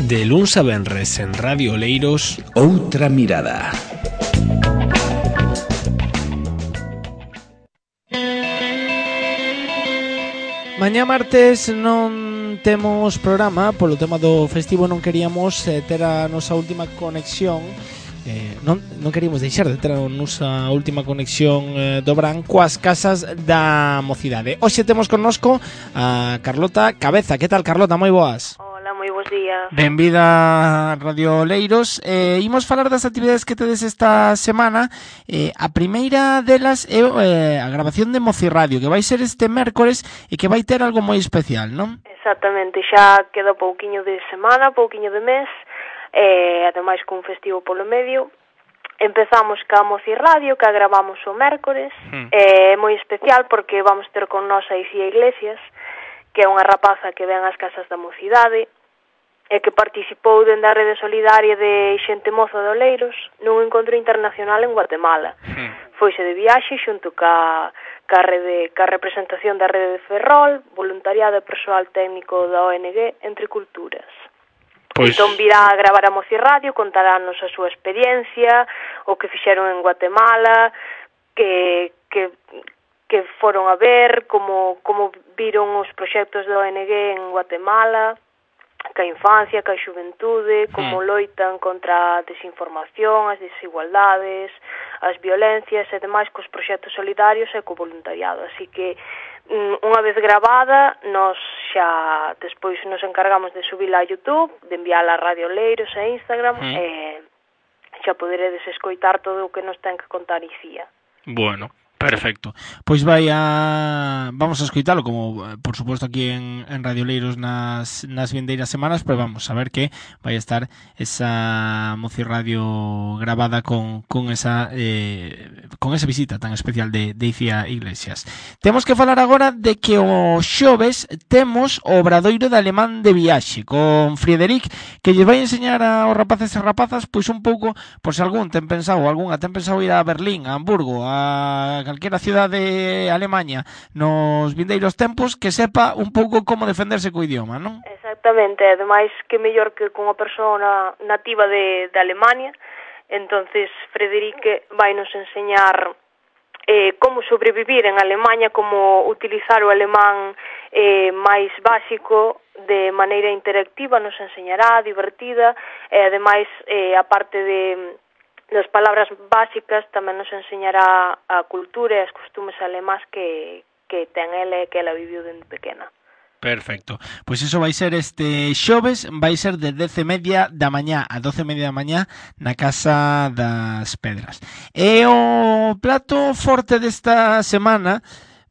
De luns a venres en Radio Oleiros, Outra mirada. Mañá martes non temos programa, polo tema do festivo non queríamos ter a nosa última conexión, non queríamos deixar de ter a nosa última conexión do Brán coas casas da mocidade. Hoxe temos connosco a Carlota Cabeza. Que tal, Carlota? Moi boas. Hola, moi bons días. Benvida a Radio Oleiros. Imos falar das actividades que tedes esta semana. A primeira delas é a grabación de Mocirradio, que vai ser este mércores e que vai ter algo moi especial, non? Exactamente, xa queda pouquiño de semana, pouquiño de mes, ademais cun festivo polo medio. Empezamos ca Mocirradio, que a gravamos o mércores. É moi especial porque vamos ter con nós a Icía Iglesias, que é unha rapaza que ven ás casas da mocidade e que participou dende a rede solidaria de xente moza de Oleiros nun encontro internacional en Guatemala. Foise de viaxe xunto ca representación da rede de Ferrol, voluntariado e persoal técnico da ONG Entre Culturas. Entón virá a gravar a Mocirradio, contarános a súa experiencia, o que fixeron en Guatemala, que foron a ver, como viron os proxectos da ONG en Guatemala, ca infancia, ca xuventude, como loitan contra a desinformación, as desigualdades, as violencias e demais cos proxectos solidarios e co voluntariado. Así que, unha vez gravada, nos xa despois nos encargamos de subila a YouTube, de enviala a Radio Oleiros e Instagram, e xa poderedes escoitar todo o que nos ten que contar Icía. Bueno, perfecto. Pois vamos a escoitalo, como por suposto aquí en Radio Oleiros nas vindeiras semanas, pero vamos a ver que vai a estar esa Mocirradio gravada con esa visita tan especial de Icía Iglesias. Temos que falar agora de que o xoves temos o Obradoiro de Alemán de Viaxe con Friederic, que lle vai enseñar aos rapaces e rapazas pois un pouco, por se algunha ten pensado ir a Berlín, a Hamburgo, a calquera cidade de Alemanha nos vindeiros tempos, que sepa un pouco como defenderse co idioma, non? Exactamente, ademais que mellor que con unha persoa nativa de Alemania. Entonces Frederique vai nos enseñar como sobrevivir en Alemanha, como utilizar o alemán máis básico de maneira interactiva, nos enseñará, divertida, e ademais, aparte das palabras básicas, tamén nos enseñará a cultura e as costumes alemás que ten ela e que ela viviu dende pequena. Perfecto. Pois iso vai ser este xoves, vai ser de 10:30 da mañá a 12:30 da mañá na Casa das Pedras. E o plato forte desta semana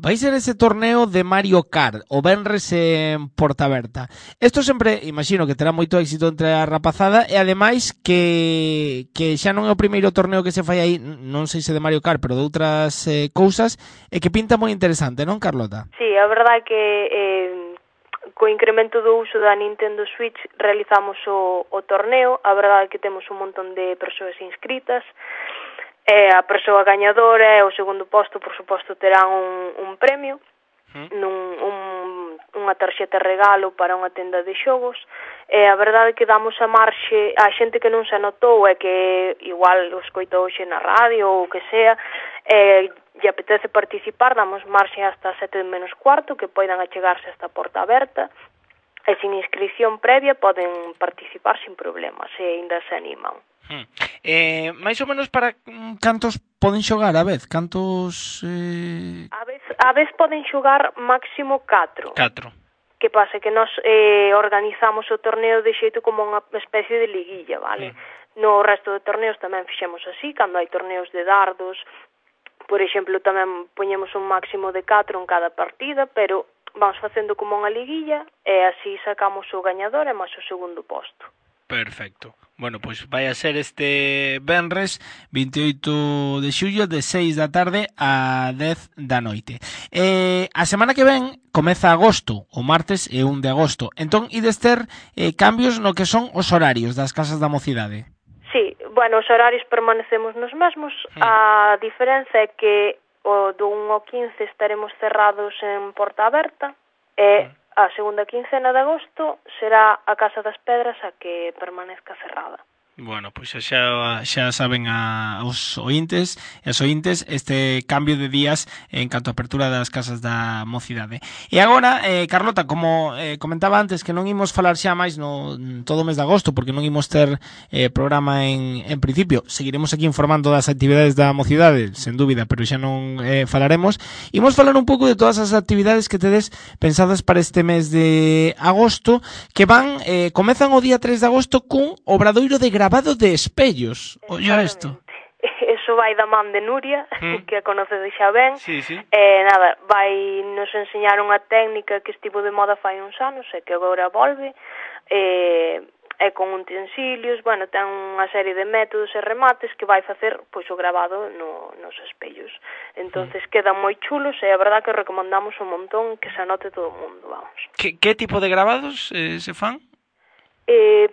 vai ser ese torneo de Mario Kart, o venres en Portaberta. Isto sempre, imagino que terá moito éxito entre a rapazada, e ademais que xa non é o primeiro torneo que se fai aí, non sei se de Mario Kart, pero de outras cousas, e que pinta moi interesante, non, Carlota? Sí, a verdade é que co incremento do uso da Nintendo Switch realizamos o torneo. A verdade é que temos un montón de persoas inscritas. A persoa gañadora e o segundo posto, por suposto, terán un premio, unha tarxeta regalo para unha tenda de xogos. A verdade é que damos a marxe a xente que non se anotou e que igual o escoitou hoxe na radio ou o que sea, lle apetece participar, damos marxe hasta 7:45, que poidan achegarse hasta a porta aberta, e sin inscripción previa poden participar sin problemas, se ainda se animan. Mais ou menos para cantos poden xogar a vez? Cantos... A vez poden xogar máximo 4. 4. Que pasa? Que nós organizamos o torneo de xeito como unha especie de liguilla, vale? No resto de torneos tamén fixemos así, cando hai torneos de dardos, por exemplo, tamén poñemos un máximo de 4 en cada partida, pero vamos facendo como unha liguilla e así sacamos o gañador e máis o segundo posto. Perfecto. Bueno, pois vai a ser este venres 28 de xullo de 6 da tarde a 10 da noite. A semana que ven comeza agosto, o martes e 1 de agosto. Entón, ides ter cambios no que son os horarios das casas da mocidade. Sí, bueno, os horarios permanecemos nos mesmos. A diferenza é que o do 1 ao 15 estaremos cerrados en porta aberta e a segunda quincena de agosto será a Casa das Pedras a que permanezca cerrada. Bueno, pois xa saben os ointes e as ointes este cambio de días en canto a apertura das casas da mocidade. E agora, Carlota, como comentaba antes que non imos falar xa máis no todo o mes de agosto porque non imos ter programa en principio, seguiremos aquí informando das actividades da mocidade, sen dúbida, pero xa non falaremos. Imos falar un pouco de todas as actividades que tedes pensadas para este mes de agosto, que van comezan o día 3 de agosto cun obradoiro de grabado de espellos. Olla isto. Eso vai da man de Nuria, que a conocedes xa ben. Sí, sí. Nada, vai nos enseñar unha técnica que estivo de moda fai uns anos e que agora volve. E con utensilios, bueno, ten unha serie de métodos e remates que vai facer pois o grabado nos espellos. Entonces quedan moi chulos e a verdad que recomendamos un montón que se anote todo o mundo, vamos. Que tipo de grabados se fan?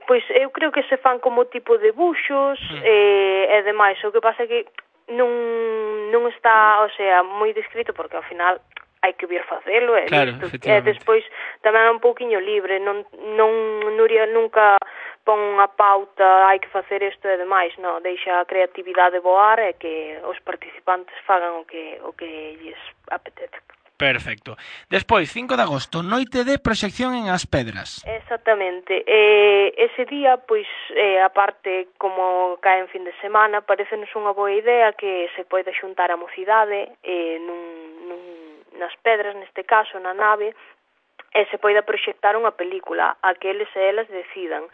Pois eu creo que se fan como tipo de buxos e demais, o que pasa é que non está, o sea, moi descrito porque ao final hai que vir facelo e claro, despois tamén é un pouquiño libre, Nuria nunca pon unha pauta, hai que facer isto e demais, non, deixa a creatividade voar e que os participantes fagan o que lles apetece. Perfecto. Despois, 5 de agosto, noite de proxección en As Pedras. Exactamente. Ese día, pois, aparte, como cae en fin de semana, parecenos unha boa idea que se poida xuntar a mocidade nas pedras, neste caso, na nave, e se poida proxectar unha película a que eles e elas decidan.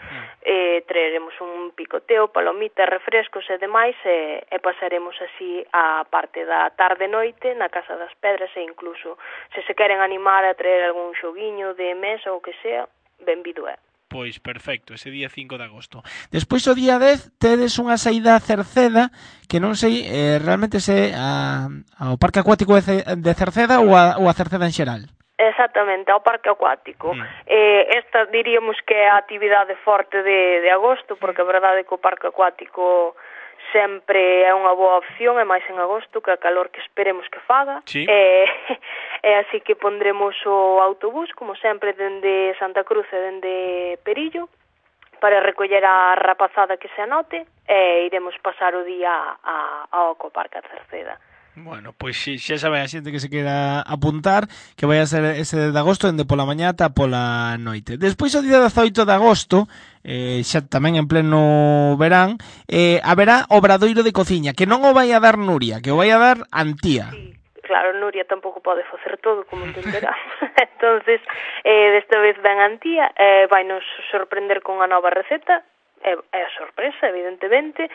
Traeremos un picoteo, palomitas, refrescos e demais e pasaremos así a parte da tarde-noite na Casa das Pedras e incluso se se queren animar a traer algún xoguiño de mesa ou que sea, benvido é. Pois perfecto, ese día 5 de agosto. Despois o día 10 tedes unha saída a Cerceda que non sei realmente se ao Parque Acuático de Cerceda ou a Cerceda en xeral. Exactamente, ao parque acuático. Esta diríamos que é a actividade forte de agosto, porque a verdade é que o parque acuático sempre é unha boa opción, e máis en agosto, que a calor que esperemos que faga. Sí. E así que pondremos o autobús, como sempre, dende Santa Cruz e dende Perillo, para recoller a rapazada que se anote, e iremos pasar o día ao Ecoparque a Cerceda. Bueno, pois xa sabe a xente que se queda apuntar que vai a ser ese de agosto dende pola mañá ata pola noite. Despois o día 18 de agosto, xa tamén en pleno verán, haberá obradoiro de cociña, que non o vai a dar Nuria, que o vai a dar Antía. Sí, claro, Nuria tampouco pode facer todo, como entenderá. Entonces, desta vez ven Antía, vai nos sorprender con unha nova receta. É a sorpresa, evidentemente.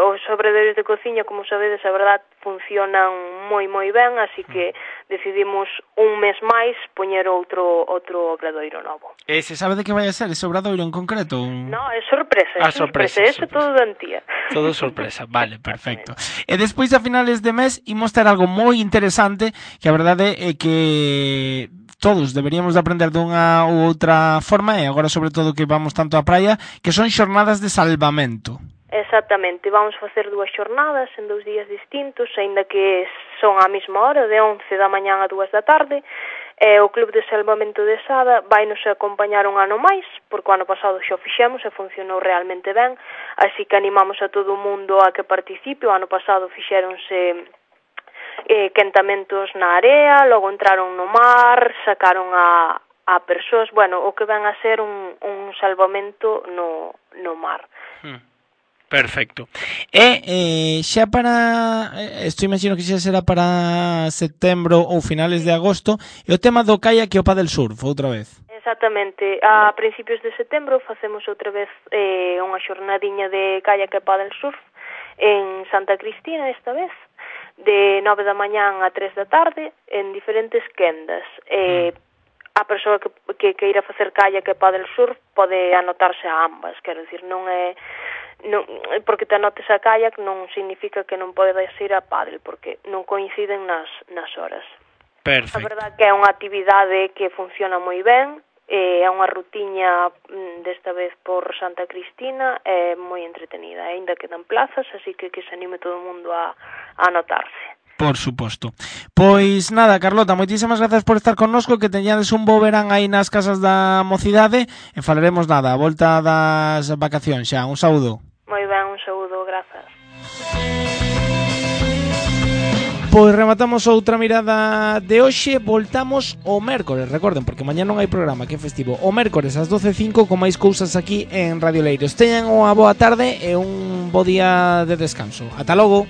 Os obradoiros de cociña, como sabedes, a verdad, funcionan moi ben, así que decidimos un mes máis poñer outro obradoiro novo. Se sabe de que vai a ser ese obradoiro en concreto? No, é sorpresa, sorpresa. Ese todo de Antía. Todo sorpresa, vale, perfecto. E despois a finales de mes imos ter algo moi interesante, que a verdade é que todos deberíamos de aprender dunha ou outra forma, e agora sobre todo que vamos tanto á praia, que son xornadas de salvamento. Exactamente, vamos facer 2 xornadas en 2 días distintos, aínda que son á mesma hora, de 11 da mañá a 2 da tarde. O Club de Salvamento de Sada vai nos acompañar un ano máis, porque o ano pasado xa o fixemos e funcionou realmente ben, así que animamos a todo o mundo a que participe. O ano pasado fixéronse quentamentos na area, logo entraron no mar, sacaron a persoas, bueno, o que ven a ser un salvamento no mar. Perfecto. E xa para, isto imagino que xa será para setembro ou finales de agosto, e o tema do kayak e o paddle surf, outra vez. Exactamente, a principios de setembro facemos outra vez unha xornadiña de kayak e paddle surf en Santa Cristina esta vez, de 9 da mañán a 3 da tarde, en diferentes quendas. A persoa que queira facer kayak e paddle surf pode anotarse a ambas, quero dicir, non é porque te anotes a kayak non significa que non podes ir a paddle, porque non coinciden nas horas. Perfecto. A verdade que é unha actividade que funciona moi ben, é unha rutiña desta vez por Santa Cristina, é moi entretenida, aínda quedan plazas, así que se anime todo o mundo a anotarse. Por suposto. Pois nada, Carlota, moitísimas grazas por estar connosco, que teñades un bo verán aí nas casas da mocidade e falaremos nada, a volta das vacacións xa. Un saúdo. Moi ben, un saúdo, grazas. Pois rematamos outra mirada de hoxe, voltamos o mércores, recorden, porque mañá non hai programa, que é festivo. O mércores ás 12:05 con máis cousas aquí en Radio Leiros. Teñan unha boa tarde e un bo día de descanso. Ata logo.